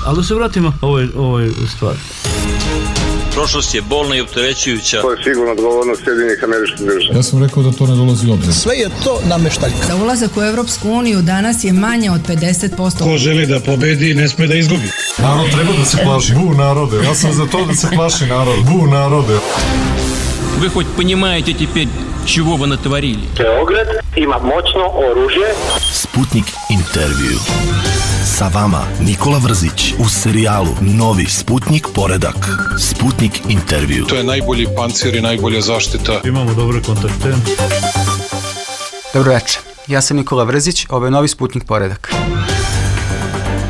Ali da se vratimo ovoj stvari. Prošlost je bolna i opterećujuća. To je sigurno odgovornost Sjedinjenih Američkih Država. Ja sam rekao da to ne dolazi u obzir. Sve je to nameštaljka. Za ulazak u Evropsku uniju danas je manje od 50%. Ko želi da pobedi, ne sme da izgubi. Narod treba da se plaši. Bu narode. Ja sam za to da se plaši narod. Bu narode. Вы хоть понимаете теперь, чего вы натворили? Beograd ima moćno oružje. Sputnik intervju. Sa vama Nikola Vrzić u serijalu Novi Sputnik poredak. Sputnik intervju. To je najbolji pancir i najbolja zaštita. Imamo dobre kontakte. Dobro večer, ja sam Nikola Vrzić, ovo je Novi Sputnik poredak.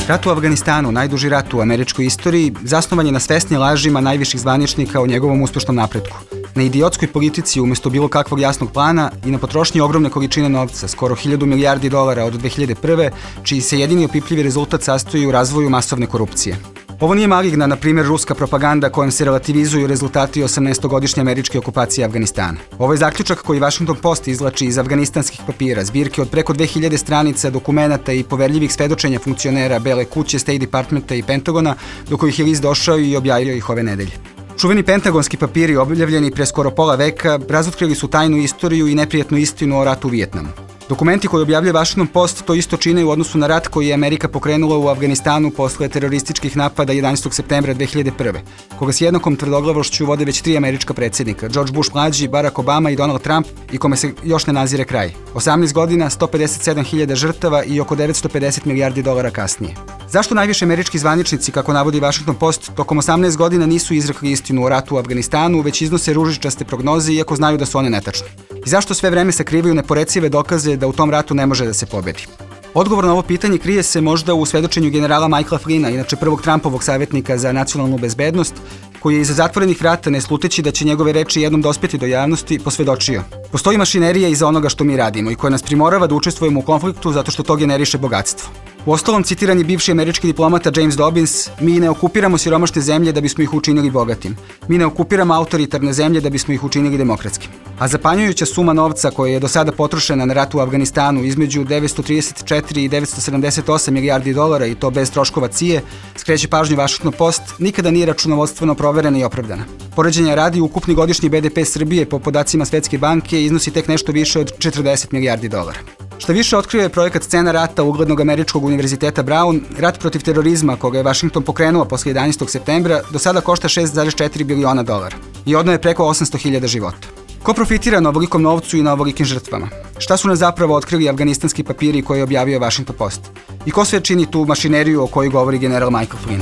Rat u Afganistanu, najduži rat u američkoj istoriji, zasnovan je na svesnim lažima najviših zvaničnika o njegovom uspešnom napretku. Na idiotskoj politici umjesto bilo kakvog jasnog plana i na potrošnji ogromne količine novca, skoro 1000 milijardi dolara od 2001. čiji se jedini opipljivi rezultat sastoji u razvoju masovne korupcije. Ovo nije maligna, na primjer, ruska propaganda kojom se relativizuju rezultati 18-godišnje američke okupacije Afganistana. Ovo je zaključak koji Washington Post izvlači iz afganistanskih papira, zbirke od preko 2000 stranica dokumenata i poverljivih svedočenja funkcionera Bele kuće, State Departmenta i Pentagona, do kojih je list došao i objavio ih ove nedelje. Čuveni pentagonski papiri, objavljeni pre skoro pola veka, razotkrili su tajnu istoriju i neprijatnu istinu o ratu u Vijetnamu. Dokumenti koje objavljuje Washington Post to isto čine u odnosu na rat koji je Amerika pokrenula u Afganistanu posle terorističkih napada 11. septembra 2001. koga s jednakom tvrdoglavošću vode već 3 američka predsjednika, George Bush mlađi, Barack Obama i Donald Trump, i kome se još ne nazire kraj. 18 godina, 157.000 žrtava i oko 950 milijardi dolara kasnije. Zašto najviše američki zvaničnici, kako navodi Washington Post, tokom 18 godina nisu izrekli istinu o ratu u Afganistanu, već iznose ružičaste prognoze iako znaju da su one netačne? I zašto sve vreme sakrivaju neporecive dokaze da u tom ratu ne može da se pobedi? Odgovor na ovo pitanje krije se možda u svedočenju generala Michaela Flynna, inače prvog Trumpovog savjetnika za nacionalnu bezbednost, koji je iza zatvorenih vrata, ne sluteći da će njegove reči jednom dospjeti do javnosti, posvjedočio. Postoji mašinerija iza onoga što mi radimo i koja nas primorava da učestvujemo u konfliktu zato što to generiše bogatstvo. Uostalom, citiran je bivši američki diplomata James Dobbins: mi ne okupiramo siromašne zemlje da bismo ih učinili bogatim. Mi ne okupiramo autoritarne zemlje da bismo ih učinili demokratskim. A zapanjujuća suma novca koja je do sada potrošena na rat u Afganistanu između 934 i 978 milijardi dolara, i to bez troškova CIA, skreće pažnju Washington Post, nikada nije računovodstveno proverena i opravdana. Poređenja radi, ukupni godišnji BDP Srbije po podacima Svetske banke iznosi tek nešto više od 40 milijardi dolara. Šta više otkrio je projekat Scena rata uglednog američkog univerziteta Brown, rat protiv terorizma koga je Washington pokrenuo posle 11. septembra, do sada košta 6,4 biliona dolara i odno je preko 800.000 života. Ko profitira na ovolikom novcu i na ovolikim žrtvama? Šta su nam zapravo otkrili afganistanski papiri koje je objavio Washington Post? I ko sve čini tu mašineriju o kojoj govori general Michael Flynn?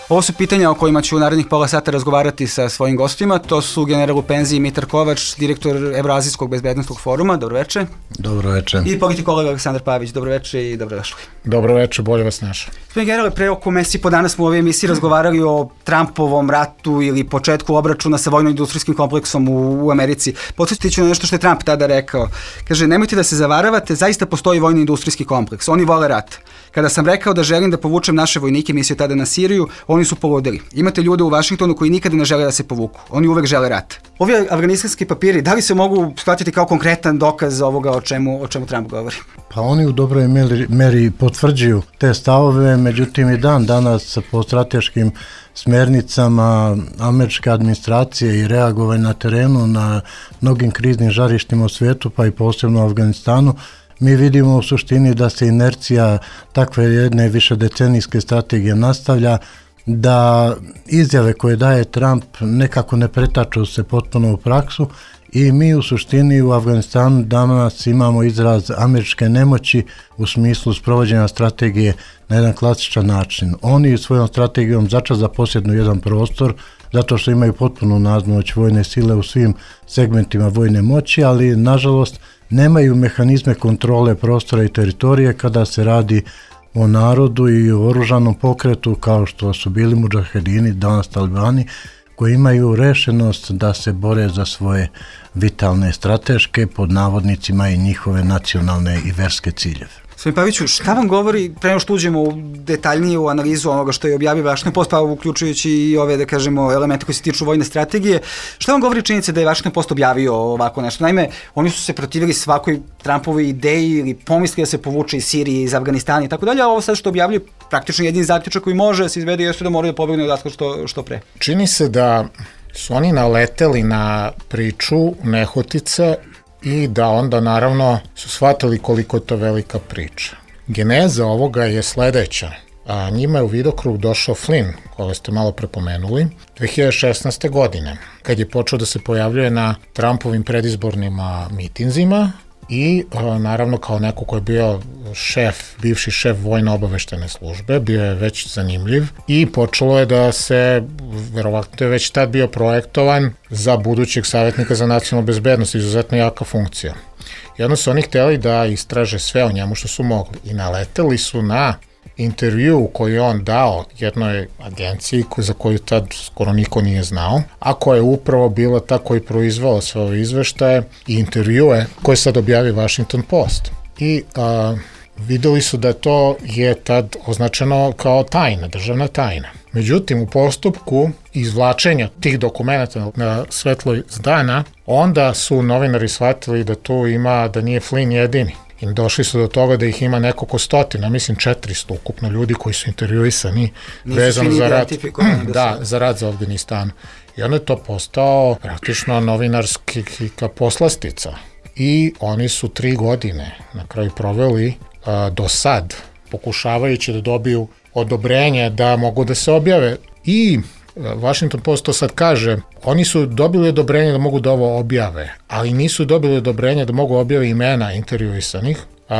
Ovo su pitanja o kojima ću u narednih pola sata razgovarati sa svojim gostima. To su general u penziji Mitar Kovač, direktor Evroazijskog bezbednosnog foruma. Dobro večer. Dobro večer. I politikolog Aleksandar Pavić. Dobro večer i dobrodošli. Dobro večer, bolje vas našao. Gospodin generale, pre oko mesec po danas smo u ovoj emisiji razgovarali o Trumpovom ratu ili početku obračuna sa vojno-industrijskim kompleksom u Americi. Podsjetit ću na nešto što je Trump tada rekao. Kaže, nemojte da se zavaravate, zaista postoji vojno-industrijski kompleks. Oni vole rat. Kada sam rekao da želim da povučem naše vojnike, mislio tada na Siriju, oni su poludeli. Imate ljude u Vašingtonu koji nikada ne žele da se povuku. Oni uvek žele rat. Ovi afganistanski papiri, da li se mogu shvatiti kao konkretan dokaz ovoga o čemu Trump govori? Pa oni u dobroj meri potvrđuju te stavove, međutim i dan danas po strateškim smernicama američke administracije i reagovanje na terenu na mnogim kriznim žarištima u svijetu, pa i posebno u Afganistanu, mi vidimo u suštini da se inercija takve jedne višedecenijske strategije nastavlja, da izjave koje daje Trump nekako ne pretaču se potpuno u praksu i mi u suštini u Afganistanu danas imamo izraz američke nemoći u smislu sprovođenja strategije na jedan klasičan način. Oni svojom strategijom začas zaposjednu jedan prostor zato što imaju potpunu nadmoć vojne sile u svim segmentima vojne moći, ali nažalost nemaju mehanizme kontrole prostora i teritorije kada se radi o narodu i o oružanom pokretu kao što su bili mudžahedini, danas talibani, koji imaju rešenost da se bore za svoje vitalne strateške, pod navodnicima, i njihove nacionalne i verske ciljeve. Gospodin Paviću, šta vam govori, pre nego što uđemo u detaljniju analizu onoga što je objavio Washington Post, pa uključujući i ove, da kažemo, elemente koji se tiču vojne strategije, šta vam govori činjenica da je Washington Post objavio ovako nešto? Naime, oni su se protivili svakoj Trumpovoj ideji ili pomisli da se povuče iz Sirije, iz Afganistana i tako dalje, a ovo sad što objavljaju praktično jedini zaključak koji može da se izvede jeste da moraju da pobegne odatle što pre. Čini se da su oni naleteli na priču nehotice i da onda naravno su shvatili koliko je to velika priča. Geneza ovoga je sledeća. Njima je u vidokrug došao Flynn, koga ste malo prepomenuli, 2016. godine, kad je počeo da se pojavljuje na Trumpovim predizbornim mitinzima i naravno kao neko ko je bio bivši šef vojno-obaveštene službe, bio je već zanimljiv i počelo je da se, verovatno je već tad bio projektovan za budućeg savjetnika za nacionalnu bezbednost, izuzetno jaka funkcija. Jedno su oni hteli da istraže sve o njemu što su mogli i naleteli su na intervju koji je on dao jednoj agenciji za koju tad skoro niko nije znao, a koja je upravo bila ta koja je proizvala sve ove izveštaje i intervjue koje sad objavi Washington Post. I videli su da to je tad označeno kao tajna, državna tajna. Međutim, u postupku izvlačenja tih dokumenta na svetloj dana, onda su novinari shvatili da tu ima, da nije Flynn jedini. I došli su do toga da ih ima nekoliko stotina, mislim 400 ukupno ljudi koji su intervjuisani vezano za rad, za rad za Afganistan. I onda je to postao praktično novinarska poslastica. I oni su 3 godine na kraju proveli do sad, pokušavajući da dobiju odobrenje da mogu da se objave. I Washington Post to sad kaže, oni su dobili odobrenje da mogu da ovo objave, ali nisu dobili odobrenje da mogu objave imena intervjuisanih,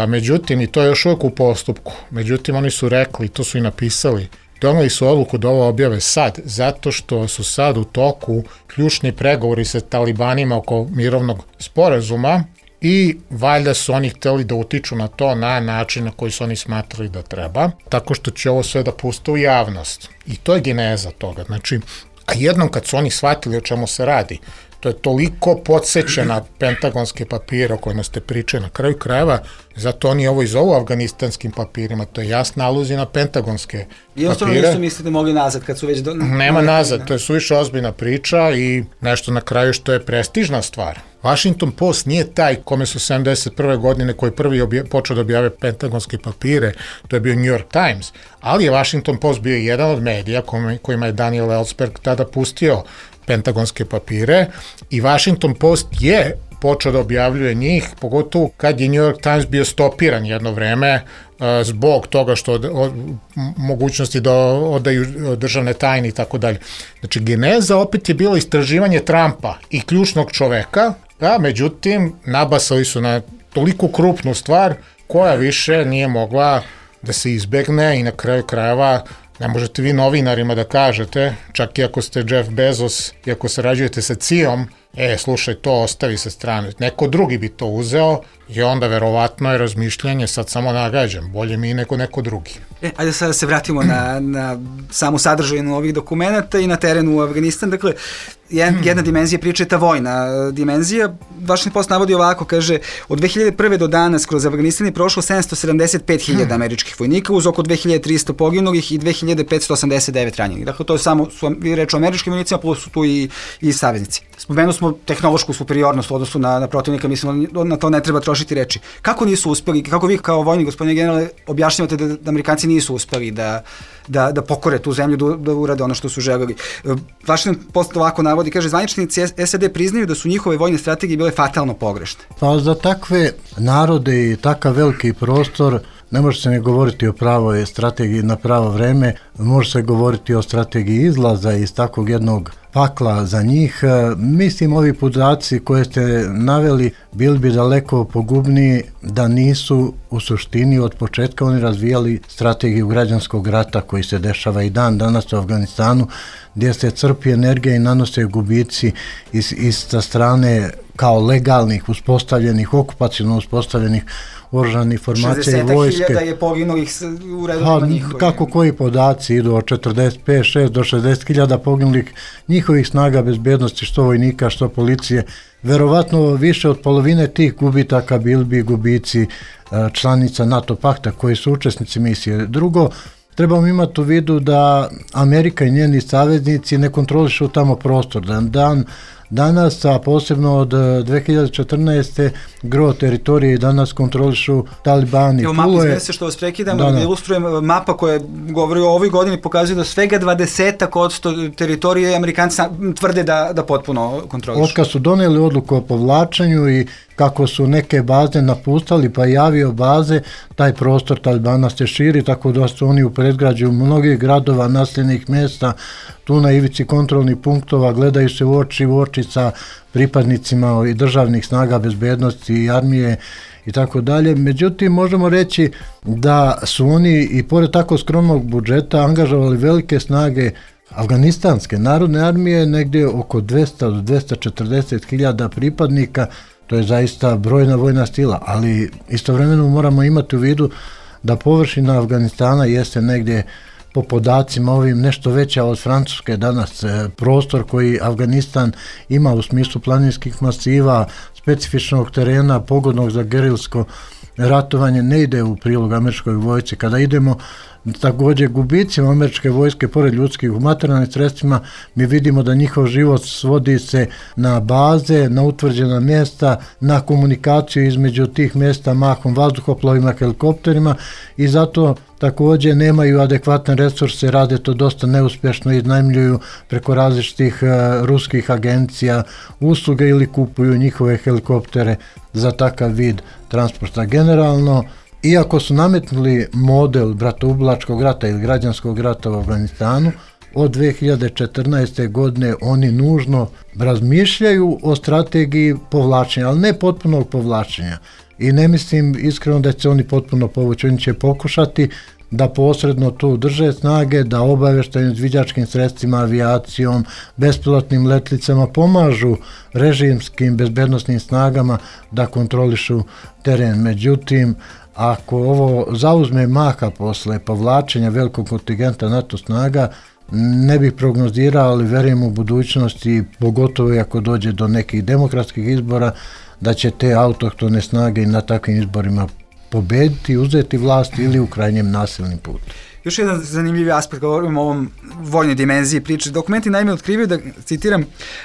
međutim, i to je još uvijek u postupku, međutim, oni su rekli, to su i napisali, doneli su odluku da ovo objave sad, zato što su sad u toku ključni pregovori sa talibanima oko mirovnog sporazuma i valjda su oni hteli da utiču na to na način na koji su oni smatrali da treba, tako što će ovo sve da puste u javnost. I to je geneza toga. Znači, a jednom kad su oni shvatili o čemu se radi, to je toliko podseća na pentagonske papire o kojima ste pričali na kraju krajeva, zato oni ovo i zovu afganistanskim papirima, to je jasna aluzija na pentagonske papire. I ostalo nisu mislite mogli nazad kad su već... Nema nazad, to je suviše ozbiljna priča i nešto na kraju što je prestižna stvar. Washington Post nije taj kome su 71. godine koji prvi počeo da objave pentagonske papire, to je bio New York Times, ali je Washington Post bio jedan od medija kojima je Daniel Ellsberg tada pustio pentagonske papire i Washington Post je počeo da objavljuje njih, pogotovo kad je New York Times bio stopiran jedno vreme zbog toga što mogućnosti da odaju državne tajne i tako dalje. Znači, geneza opet je bilo istraživanje Trumpa i ključnog čoveka, a međutim, nabasali su na toliko krupnu stvar koja više nije mogla da se izbegne i na kraju krajeva ne možete vi novinarima da kažete, čak i ako ste Jeff Bezos i ako sarađujete sa CIA-om, slušaj, to ostavi sa strane. Neko drugi bi to uzeo i onda verovatno je razmišljanje sad samo nagađam, bolje mi nego neko drugi. Ajde sada se vratimo na samu sadržajnu ovih dokumenta i na terenu u Afganistan. Dakle, jedna dimenzija priče je ta vojna dimenzija. Washington Post navodi ovako, kaže, od 2001. do danas kroz Afganistan je prošlo 775.000 američkih vojnika uz oko 2300 poginulih i 2589 ranjenih. Dakle, to je samo, vi reč o američkim vojnicima, plus su tu i saveznici. Spomenuo smo tehnološku superiornost u odnosu na protivnika, mislim, na to ne treba trošiti reči. Kako nisu uspeli, kako vi kao vojni gospodine generale objašnjavate da Amerikanci nisu uspeli da pokore tu zemlju, da urade ono što su želeli? Washington Post ovako navodi, kaže, zvaničnici SAD priznaju da su njihove vojne strategije bile fatalno pogrešne. Pa za takve narode i takav veliki prostor ne može se ne govoriti o pravoj strategiji na pravo vreme, može se govoriti o strategiji izlaza iz takvog jednog pakla za njih. Mislim, ovi podaci koje ste naveli bili bi daleko pogubniji da nisu u suštini od početka oni razvijali strategiju građanskog rata koji se dešava i dan danas u Afganistanu, gdje se crpi energija i nanose gubici iz sa strane kao legalnih, uspostavljenih, okupacijno uspostavljenih oružanih formacija i vojske. 60.000 je poginulih u redovima njihovih. Kako koji podaci idu od 45-6 do 60.000 poginulih njihovih snaga bezbednosti, što vojnika, što policije. Verovatno više od polovine tih gubitaka bili bi gubici članica NATO pakta koji su učesnici misije. Drugo, trebamo imati u vidu da Amerika i njeni saveznici ne kontrolišu tamo prostor. Danas, a posebno od 2014. gro teritorije i danas kontrolišu Talibani. Evo mapu izmese što vas prekidam, da ilustrujem, mapa koja govori o ovoj godini pokazuje da svega 20% teritorije Amerikanci tvrde da potpuno kontrolišu. Otkad su doneli odluku o povlačenju i kako su neke baze napustali pa i avio baze, taj prostor Talibana se širi, tako da su oni u predgrađu mnogih gradova, naseljenih mjesta, tu na ivici kontrolnih punktova, gledaju se u oči sa pripadnicima i državnih snaga bezbednosti i armije i tako dalje. Međutim, možemo reći da su oni i pored tako skromnog budžeta angažovali velike snage Afganistanske narodne armije, negdje oko 200 do 240.000 pripadnika. To je zaista brojna vojna sila, ali istovremeno moramo imati u vidu da površina Afganistana jeste negdje po podacima ovim nešto veća od Francuske danas. Prostor koji Afganistan ima u smislu planinskih masiva, specifičnog terena, pogodnog za gerilsko ratovanje, ne ide u prilog američkoj vojsci. Kada idemo također gubicima američke vojske, pored ljudskih u materijalnim sredstvima, mi vidimo da njihov život svodi se na baze, na utvrđena mjesta, na komunikaciju između tih mjesta mahom vazduhoplovima, helikopterima i zato također nemaju adekvatne resurse, rade to dosta neuspješno, iznajmljuju preko različitih ruskih agencija usluge ili kupuju njihove helikoptere za takav vid transporta. Generalno, iako su nametnuli model bratoubilačkog rata ili građanskog rata u Afganistanu, od 2014. godine oni nužno razmišljaju o strategiji povlačenja, ali ne potpunog povlačenja. I ne mislim iskreno da će oni potpuno povući, oni će pokušati da posredno tu drže snage, da obavještajnim izviđačkim sredstvima, avijacijom, bespilotnim letlicama pomažu režimskim bezbednosnim snagama da kontrolišu teren. Međutim, ako ovo zauzme maha posle povlačenja velikog kontingenta NATO snaga, ne bih prognozirao, ali verujem u budućnosti, pogotovo i ako dođe do nekih demokratskih izbora, da će te autohtone snage na takvim izborima pobediti, uzeti vlast ili u krajnjem nasilnim putu. Još jedan zanimljiv aspekt, govorimo o ovom vojnoj dimenziji priče. Dokumenti naime otkrivaju da, citiram,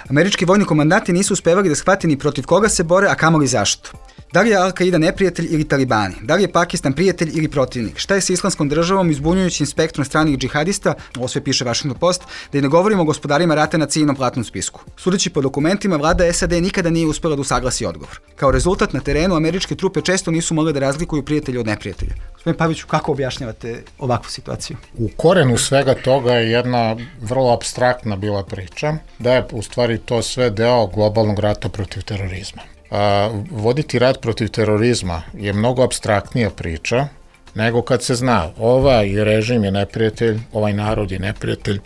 američki vojni komandanti nisu uspevali da shvate ni protiv koga se bore, a kamoli zašto. Da li je Al-Qaida neprijatelj ili talibani? Da li je Pakistan prijatelj ili protivnik? Šta je sa islamskom državom izbunjujućim spektrom stranih džihadista? Ovo sve piše Washington Post, da i ne govorimo o gospodarima rata na ciljnom platnom spisku. Sudeći po dokumentima, vlada SAD nikada nije uspela da usaglasi odgovor. Kao rezultat, na terenu američke trupe često nisu mogle da razlikuju prijatelja od neprijatelja. Gospodin Paviću, kako objašnjavate ovakvu situaciju? U korenu svega toga je jedna vrlo apstraktna bila priča, da je u stvari to sve deo globalnog rata protiv terorizma. Voditi rat protiv terorizma je mnogo apstraktnija priča nego kad se zna ovaj režim je neprijatelj, ovaj narod je neprijatelj.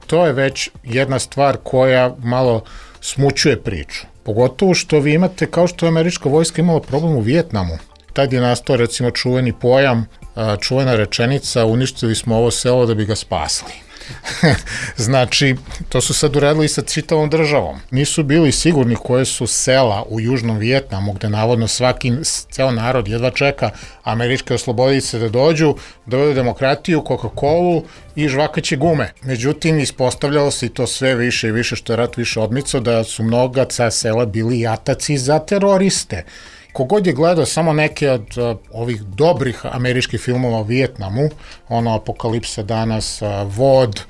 To je već jedna stvar koja malo smućuje priču. Pogotovo što vi imate, kao što je američka vojska imala problem u Vijetnamu. Tad je nastao recimo čuveni pojam, čuvena rečenica, uništili smo ovo selo da bi ga spasli. Znači, to su sad uradili sa čitavom državom. Nisu bili sigurni koje su sela u Južnom Vijetnamu, gde navodno ceo narod jedva čeka američke oslobodice da dođu, dovedu demokratiju, Coca-Colu i žvakaće gume. Međutim, ispostavljalo se i to sve više i više, što je rat više odmicao, da su mnoga sela bili jataci za teroriste. Kogod je gledao samo neke od ovih dobrih američkih filmova o Vijetnamu, ono Apokalipsa danas, Vod,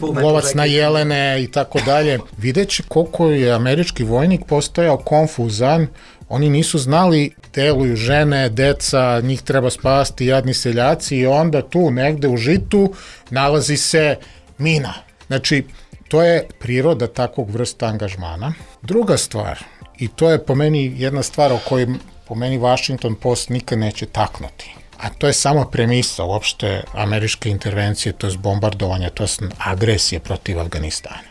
Lovac na jelene i tako dalje, videće koliko je američki vojnik postajao konfuzan, oni nisu znali, deluju žene, deca, njih treba spasti, jadni seljaci i onda tu negde u žitu nalazi se mina. Znači, to je priroda takvog vrsta angažmana. Druga stvar, i to je po meni jedna stvar o kojoj po meni Washington Post nikad neće taknuti. A to je samo premisa uopšte američke intervencije, to je bombardovanja, to je agresije protiv Afganistana.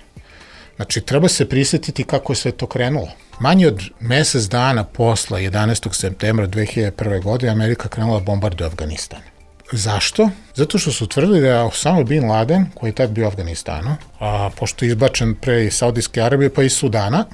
Znači, treba se prisjetiti kako je sve to krenulo. Manje od mesec dana posle 11. septembra 2001. godine Amerika krenula bombarduje Afganistan. Zašto? Zato što su tvrdili da je Osama bin Laden, koji je tad bio u Afganistanu, a pošto je izbačen pre iz Saudijske Arabije pa iz Sudana,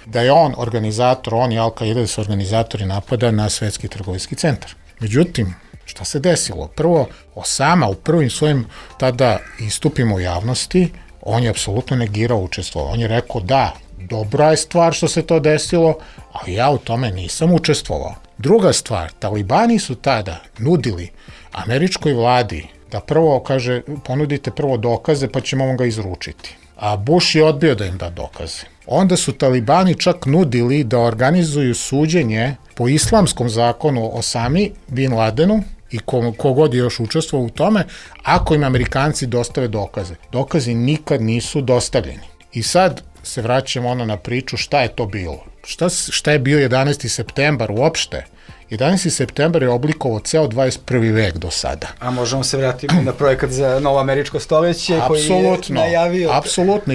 da je on organizator, on i Al-Qaida da su organizatori napada na Svetski trgovinski centar. Međutim, šta se desilo? Prvo, Osama u prvim svojim tada istupima u javnosti, on je apsolutno negirao učestvo. On je rekao da, dobra je stvar što se to desilo, ali ja u tome nisam učestvovao. Druga stvar, talibani su tada nudili američkoj vladi da prvo, kaže, ponudite prvo dokaze pa ćemo vam ga izručiti. A Bush je odbio da im da dokaze. Onda su talibani čak nudili da organizuju suđenje po islamskom zakonu Osami bin Ladenu i kogod je još učestvovao u tome, ako im Amerikanci dostave dokaze. Dokazi nikad nisu dostavljeni. I sad se vraćamo na priču šta je to bilo. Šta je bio 11. septembar uopšte? 11. septembar je oblikovao ceo 21. vek do sada. A možemo se vratiti na projekat za novo američko stoljeće koji je najavio... Apsolutno.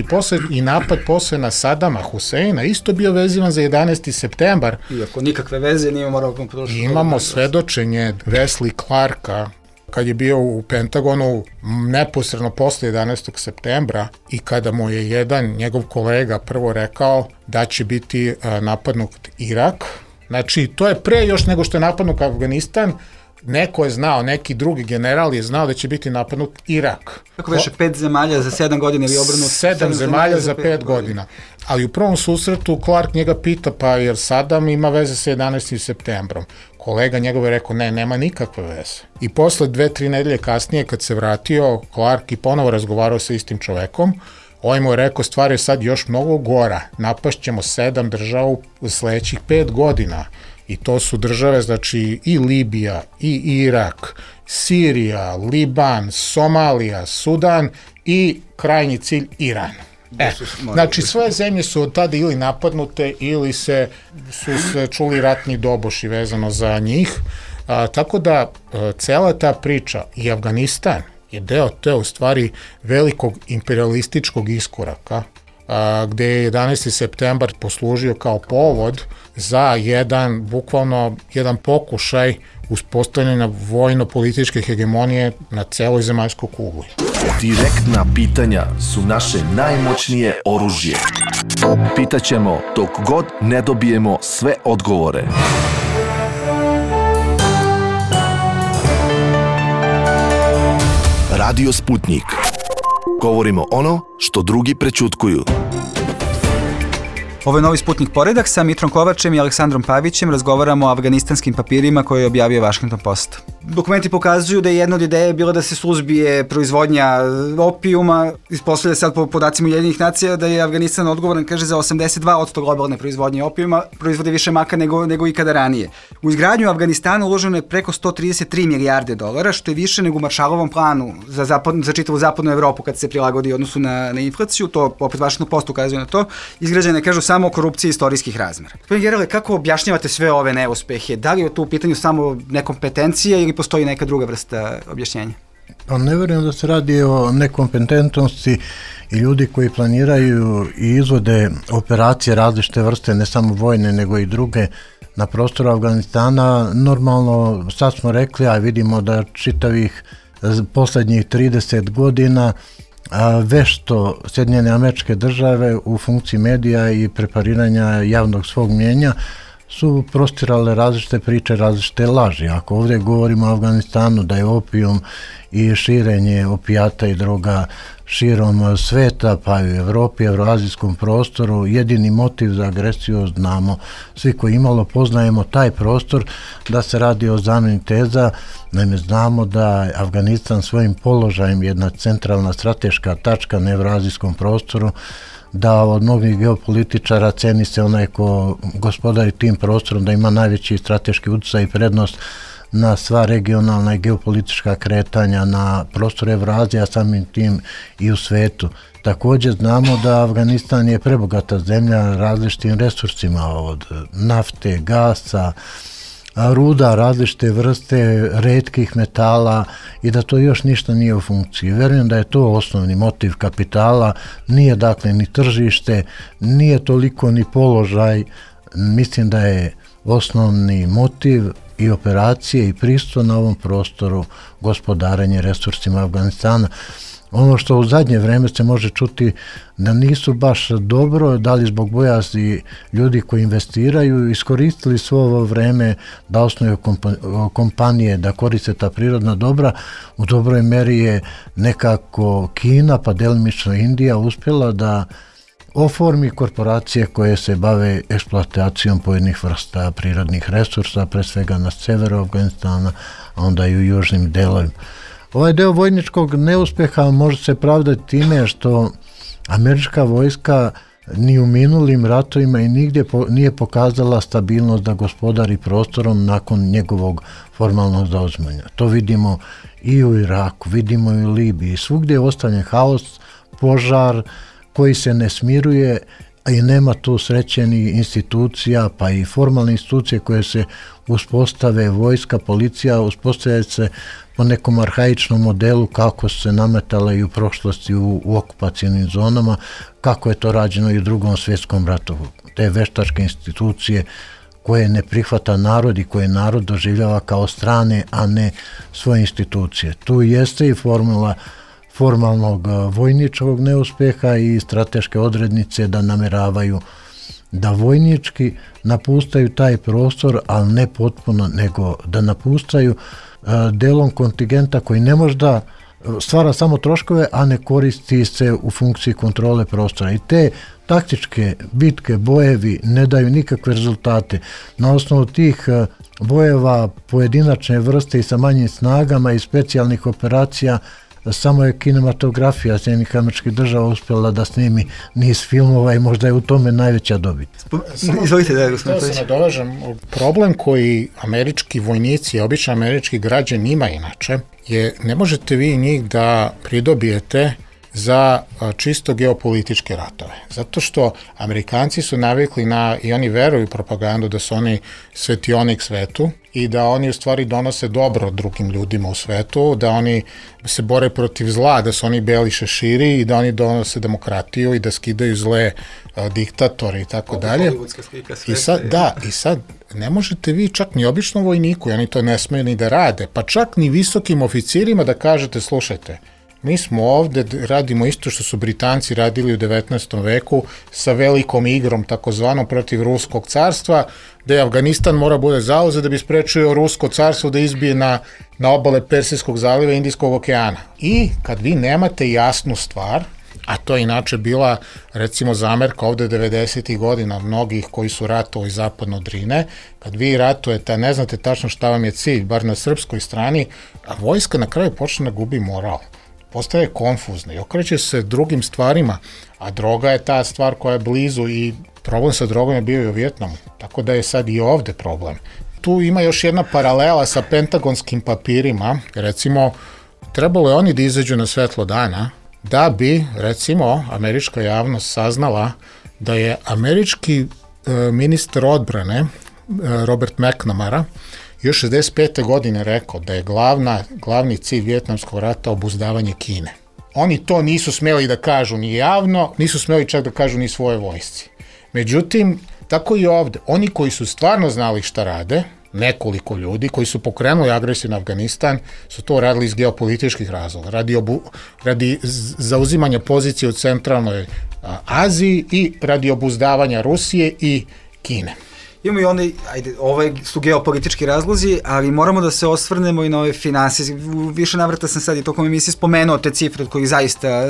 I napad posle na Sadama Huseina isto bio vezivan za 11. septembar. Iako nikakve veze nije morao... Imamo svedočenje Wesley Clarka kad je bio u Pentagonu neposredno posle 11. septembra i kada mu je jedan njegov kolega prvo rekao da će biti napadnut Irak. Znači, to je pre još nego što je napadnut Afganistan, neko je znao, neki drugi general je znao da će biti napadnut Irak. Kako veše, 5 zemalja za 7 godina ili obrnut? 7 zemalja za 5 godina. Ali u prvom susretu Clark njega pita, pa jer Saddam ima veze sa 11. septembrom. Kolega njegov je rekao, ne, nema nikakve veze. I posle 2-3 nedelje kasnije, kad se vratio, Clark i ponovo razgovarao sa istim čovekom, ovaj mu je rekao, stvar je sad još mnogo gora, napašćemo 7 država u sledećih 5 godina. I to su države, znači i Libija, i Irak, Sirija, Liban, Somalija, Sudan i krajnji cilj Iran. Znači sve zemlje su od tada ili napadnute ili su se čuli ratni doboši vezano za njih. Tako da cela ta priča i Afganistan je deo te u stvari velikog imperialističkog iskoraka gde je 11. septembar poslužio kao povod za bukvalno jedan pokušaj uspostavljanja vojno-političke hegemonije na celoj zemaljskoj kugli. Direktna pitanja su naše najmoćnije oružje. Pitaćemo dok god ne dobijemo sve odgovore. Radio Sputnik. Govorimo ono što drugi prećutkuju. Ovo je novi Sputnik poredak, sa Mitrom Kovačem i Aleksandrom Pavićem razgovaramo o afganistanskim papirima koje je objavio Washington Post. Dokumenti pokazuju da je jedna od ideje bila da se suzbije proizvodnja opijuma. Ispostavlja sad po podacima Ujedinjenih nacija da je Afganistan odgovoran, kaže, za 82% globalne proizvodnje opijuma, proizvode više maka nego ikada ranije. U izgradnju Afganistana uloženo je preko 133 milijarde dolara, što je više nego u Maršalovom planu za čitavu zapadnu Evropu kad se prilagodi odnosu na inflaciju. To opet Washington Post ukazuje na to. Izgrađene, kažu, samo korupcije istorijskih razmera. Gospodin Gerale, kako objašnjavate sve ove neuspehe? Da li je to u pitanju samo nekompetencija ili postoji neka druga vrsta objašnjenja? Pa ne verujem da se radi o nekompetentnosti i ljudi koji planiraju i izvode operacije različite vrste, ne samo vojne nego i druge na prostoru Afganistana. Normalno, sad smo rekli, a vidimo da čitavih poslednjih 30 godina vešto Sjedinjene Američke Države u funkciji medija i prepariranja javnog svog mnjenja su prostirale različite priče, različite laži. Ako ovdje govorimo o Afganistanu da je opijum i širenje opijata i droga širom sveta, pa i u Evropi, evroazijskom prostoru, jedini motiv za agresiju znamo, svi koji imalo poznajemo taj prostor, da se radi o zamjeni teza. Naime, znamo da Afganistan svojim položajem jedna centralna strateška tačka na evroazijskom prostoru, da od mnogih geopolitičara ceni se onaj ko gospodari tim prostorom, da ima najveći strateški utjecaj i prednost na sva regionalna i geopolitička kretanja na prostoru Evrazije, a samim tim i u svetu. Također znamo da Afganistan je prebogata zemlja različitim resursima, od nafte, gasa, ruda, različite vrste retkih metala, i da to još ništa nije u funkciji. Verujem da je to osnovni motiv kapitala, nije dakle ni tržište, nije toliko ni položaj mislim da je osnovni motiv i operacije i pristup na ovom prostoru gospodarenje resursima Afganistana. Ono što u zadnje vreme se može čuti da nisu baš dobro, da li zbog bojazni ljudi koji investiraju, iskoristili svo ovo vreme da osnuju kompanije, da koriste ta prirodna dobra. U dobroj meri je nekako Kina, pa delimično Indija, uspjela da oformi korporacije koje se bave eksploatacijom pojedinih vrsta prirodnih resursa, pre svega na severu Afganistana, a onda i u južnim delovima. Ovaj deo vojničkog neuspeha može se pravdati time što američka vojska ni u minulim ratovima i nigdje nije pokazala stabilnost da gospodari prostorom nakon njegovog formalnog zauzimanja. To vidimo i u Iraku, vidimo i u Libiji. Svugdje je ostavljen haos, požar koji se ne smiruje, i nema tu srećenih institucija, pa i formalne institucije koje se uspostave, vojska, policija, uspostavljaju se po nekom arhaičnom modelu kako su se nametale i u prošlosti u okupacijnim zonama, kako je to rađeno i u Drugom svjetskom ratu. Te veštačke institucije koje ne prihvata narod i koje narod doživljava kao strane, a ne svoje institucije. Tu jeste i formula formalnog vojničkog neuspeha i strateške odrednice da nameravaju da vojnički napustaju taj prostor, ali ne potpuno, nego da napustaju delom kontingenta koji ne može da stvara samo troškove, a ne koristi se u funkciji kontrole prostora. I te taktičke bitke, bojevi ne daju nikakve rezultate. Na osnovu tih bojeva pojedinačne vrste i sa manjim snagama i specijalnih operacija samo je kinematografija Sjedinjenih Američkih Država uspjela da snimi niz filmova i možda je u tome najveća dobit. Izvolite da je gospodin Tojić. Da se nadovežem, problem koji američki vojnici, obično američki građani ima inače, je ne možete vi njih da pridobijete za čisto geopolitičke ratove. Zato što Amerikanci su navikli i oni veruju propagandu da su oni svetionik svetu i da oni u stvari donose dobro drugim ljudima u svetu, da oni se bore protiv zla, da su oni beli šeširi i da oni donose demokratiju i da skidaju zle diktatore i tako dalje. I sad ne možete vi čak ni običnom vojniku, oni to ne smeju ni da rade, pa čak ni visokim oficirima da kažete, slušajte, mi smo ovde, radimo isto što su Britanci radili u 19. veku sa velikom igrom takozvanom protiv Ruskog carstva, da je Afganistan mora bude zauzet da bi sprečio Rusko carstvo da izbije na obale Persijskog zaliva i Indijskog okeana. I kad vi nemate jasnu stvar, a to je inače bila recimo zamerka ovde 90. godina mnogih koji su ratovali zapadno od Drine, kad vi ratujete, a ne znate tačno šta vam je cilj, bar na srpskoj strani, a vojska na kraju počne da gubi moral. Postaje konfuzna i okreće se drugim stvarima, a droga je ta stvar koja je blizu i problem sa drogom je bio i u Vijetnamu, tako da je sad i ovde problem. Tu ima još jedna paralela sa pentagonskim papirima, recimo, trebalo je oni da izađu na svetlo dana, da bi, recimo, američka javnost saznala da je američki ministar odbrane Robert McNamara još 65. godine rekao da je glavni cilj Vijetnamskog rata obuzdavanje Kine. Oni to nisu smeli da kažu ni javno, nisu smeli čak da kažu ni svoje vojsci. Međutim, tako i ovde, oni koji su stvarno znali šta rade, nekoliko ljudi koji su pokrenuli agresiju na Afganistan, su to radili iz geopolitičkih razloga, radi zauzimanja pozicije u centralnoj Aziji i radi obuzdavanja Rusije i Kine. Imamo i one, ove su geopolitički razlozi, ali moramo da se osvrnemo i na ove finansije. Više navrata sam sad i tokom emisije spomenuo te cifre od kojih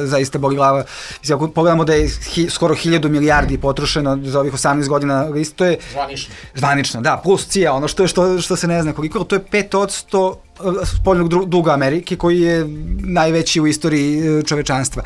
zaista boli glava. Ako pogledamo da je skoro 1000 milijardi potrošeno za ovih 18 godina, to je zvanično, da, plus CIA, ono što se ne zna koliko, to je 5% spoljnog duga Amerike koji je najveći u istoriji čovečanstva.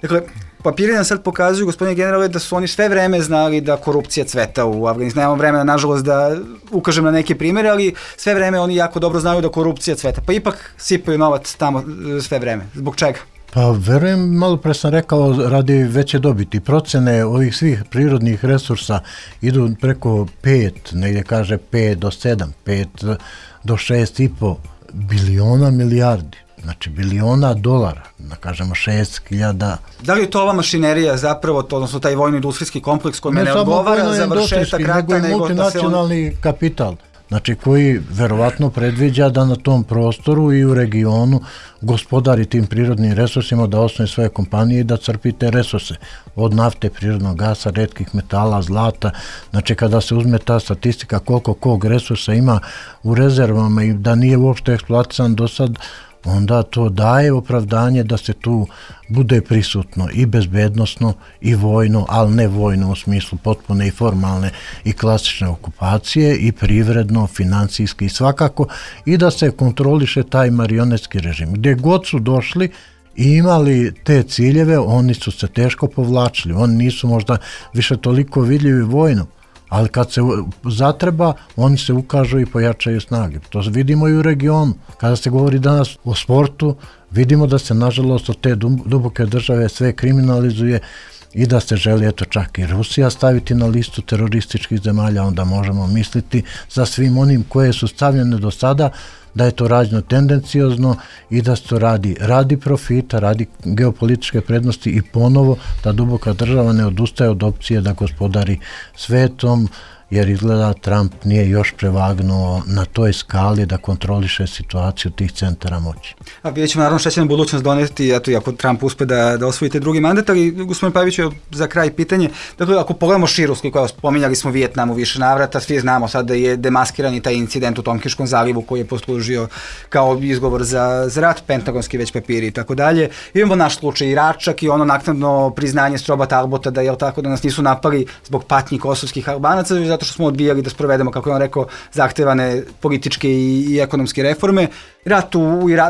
Dakle, papiri nam sad pokazuju, gospodine generale, da su oni sve vreme znali da korupcija cveta u Afganistanu. Nemamo vremena, nažalost, da ukažem na neke primere, ali sve vreme oni jako dobro znaju da korupcija cveta. Pa ipak sipaju novac tamo sve vreme. Zbog čega? Pa verujem, malo pre sam rekao, radi veće dobiti. Procene ovih svih prirodnih resursa idu preko 5, negdje kaže 5 do 7, 5 do 6,5 biliona milijardi. znači biliona dolara, da kažemo 6.000. Da li je to ova mašinerija zapravo, odnosno taj vojno-industrijski kompleks koji ne odgovara za vršetak rata, nego i multinacionalni kapital, znači koji verovatno predviđa da na tom prostoru i u regionu gospodari tim prirodnim resursima, da osnovi svoje kompanije i da crpi te resurse od nafte, prirodnog gasa, retkih metala, zlata. Znači kada se uzme ta statistika koliko kog resursa ima u rezervama i da nije uopšte eksploatisan do sad, onda to daje opravdanje da se tu bude prisutno i bezbednosno i vojno, ali ne vojno u smislu potpune i formalne i klasične okupacije, i privredno, financijski i svakako, i da se kontroliše taj marionetski režim. Gdje god su došli i imali te ciljeve, oni su se teško povlačili, oni nisu možda više toliko vidljivi vojno, ali kad se zatreba, oni se ukažu i pojačaju snage. To vidimo i u regionu. Kada se govori danas o sportu, vidimo da se nažalost od te duboke države sve kriminalizuje i da se želi eto čak i Rusija staviti na listu terorističkih zemalja, onda možemo misliti za svim onim koje su stavljene do sada da je to rađeno tendenciozno i da se to radi profita, radi geopolitičke prednosti i ponovo da duboka država ne odustaje od opcije da gospodari svetom, jer izgleda Trump nije još prevagnuo na toj skali da kontroliše situaciju tih centara moći. A vidjet ćemo naravno šta će nam budućnost doneti, eto i ako Trump uspe da osvojite drugi mandat, ali gospodin Paviću, za kraj pitanje, dakle ako pogledamo širu, koja spominjali smo Vijetnam u više navrata, svi znamo sad da je demaskirani taj incident u Tonkiškom zalivu koji je poslužio kao izgovor za rat, pentagonski već papiri i tako dalje. Imamo naš slučaj Iračak i ono naknadno priznanje Stroba Talbota da je tako da nas nisu napali zbog patnji kosovskih Albanaca, zato što smo odbijali da sprovedemo, kako je on rekao, zahtevane političke i ekonomske reforme. Rat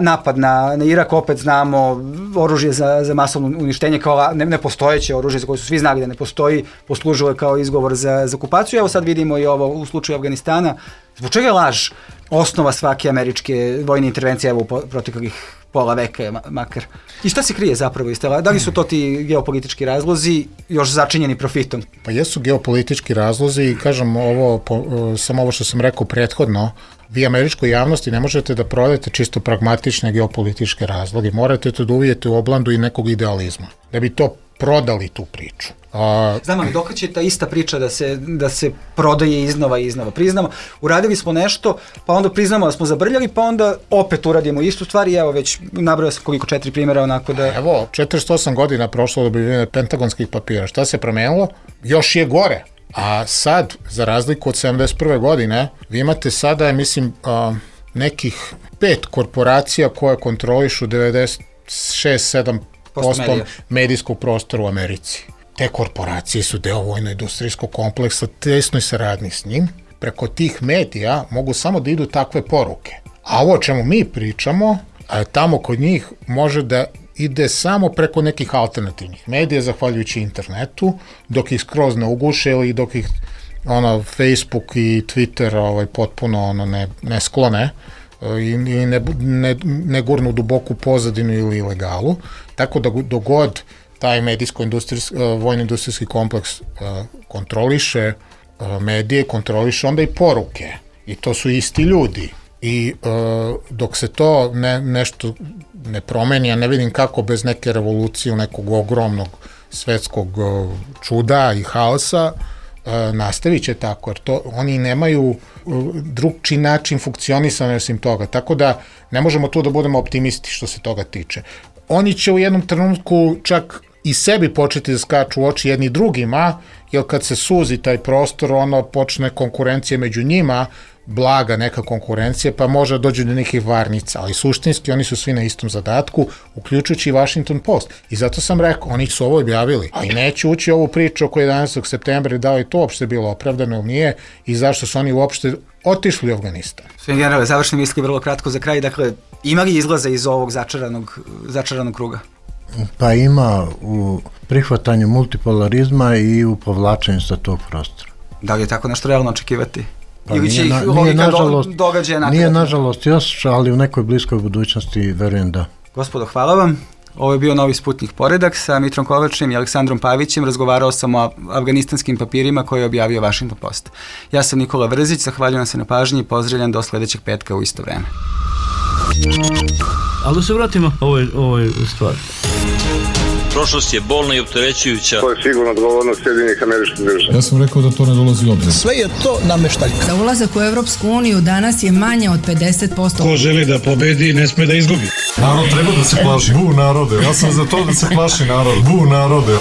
napad na Irak, opet znamo, oružje za masovno uništenje kao nepostojeće oružje za koje su svi znali da ne postoji, poslužilo je kao izgovor za okupaciju. Evo sad vidimo i ovo u slučaju Afganistana. Zbog čega je laž osnova svake američke vojne intervencije u proteklih pola veka makar? I šta se krije zapravo iz toga? Da li su to ti geopolitički razlozi još začinjeni profitom? Pa jesu geopolitički razlozi i kažem samo ovo što sam rekao prethodno, vi američkoj javnosti ne možete da prodajete čisto pragmatične geopolitičke razloge, morate to da uvijete u oblandu i nekog idealizma, da bi to prodali tu priču. Znam, ali dok će ta ista priča da se prodaje iznova i iznova? Priznamo, uradili smo nešto, pa onda priznamo da smo zabrljali, pa onda opet uradimo istu stvar i evo već nabrojao sam koliko 4 primjera onako da... Evo, 48 godina prošlo od objavljivanja pentagonskih papira. Šta se promenilo? Još je gore. A sad, za razliku od 71. godine, vi imate sada, mislim, nekih 5 korporacija koje kontrolišu 96-7% medijskog prostora u Americi. Te korporacije su deo vojno-industrijskog kompleksa, tesnoj saradnji s njim. Preko tih medija mogu samo da idu takve poruke. A ovo o čemu mi pričamo, tamo kod njih može da ide samo preko nekih alternativnih medija, zahvaljujući internetu, dok ih skroz ne uguše ili dok ih Facebook i Twitter potpuno ne sklone i ne gurnu duboku pozadinu ili ilegalu. Tako da dogod taj vojno-industrijski kompleks kontroliše medije, kontroliše onda i poruke. I to su isti ljudi. I dok se to nešto ne promeni, ja ne vidim kako bez neke revolucije, nekog ogromnog svetskog čuda i haosa, nastavit će tako, jer oni nemaju drugčiji način funkcionisanja osim toga, tako da ne možemo tu da budemo optimisti što se toga tiče. Oni će u jednom trenutku čak i sebi početi da skaču u oči jedni drugima, jer kad se suzi taj prostor, počne konkurencija među njima, blaga neka konkurencija, pa može dođe do nekih varnica, ali suštinski oni su svi na istom zadatku, uključujući i Washington Post. I zato sam rekao, oni su ovo objavili, a i neće ući ovu priču oko 11. septembra, da li to uopšte bilo opravdano ili nije i zašto su oni uopšte otišli u Afganistan. Sve generale, završne misli vrlo kratko za kraj, dakle, ima li izlaza iz ovog začaranog kruga? Pa ima u prihvatanju multipolarizma i u povlačenju sa tog prostora. Da li je tako nešto realno očekivati? Pa nije nažalost još, ali u nekoj bliskoj budućnosti verujem da. Gospodo, hvala vam. Ovo je bio Novi Sputnik Poredak sa Mitrom Kovačem i Aleksandrom Pavićem. Razgovarao sam o afganistanskim papirima koje je objavio Washington Post. Ja sam Nikola Vrzić, zahvaljujem se na pažnji i pozdravljam do sledećeg petka u isto vreme. Ali da se vratimo ovoj stvari. Prošlost je bolna i opterećujuća. To je sigurno odgovornost Sjedinjenih Američkih Država. Ja sam rekao da to ne dolazi u obzir. Sve je to nameštaljka. Za ulazak u Evropsku uniju danas je manje od 50%. Ko želi da pobedi, ne sme da izgubi. Narod treba da se plaši. Bu narode. Ja sam za to da se plaši narod. Bu narode.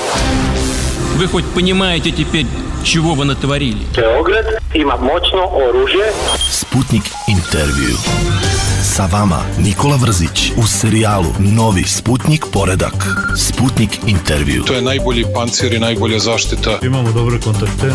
Вы хоть понимаете теперь, чего вы натворили? Beograd ima moćno oružje. Sputnik intervju. Sa vama Nikola Vrzić u serijalu Novi Sputnik poredak. Sputnik intervju. To je najbolji pancir i najbolja zaštita. Imamo dobre kontakte.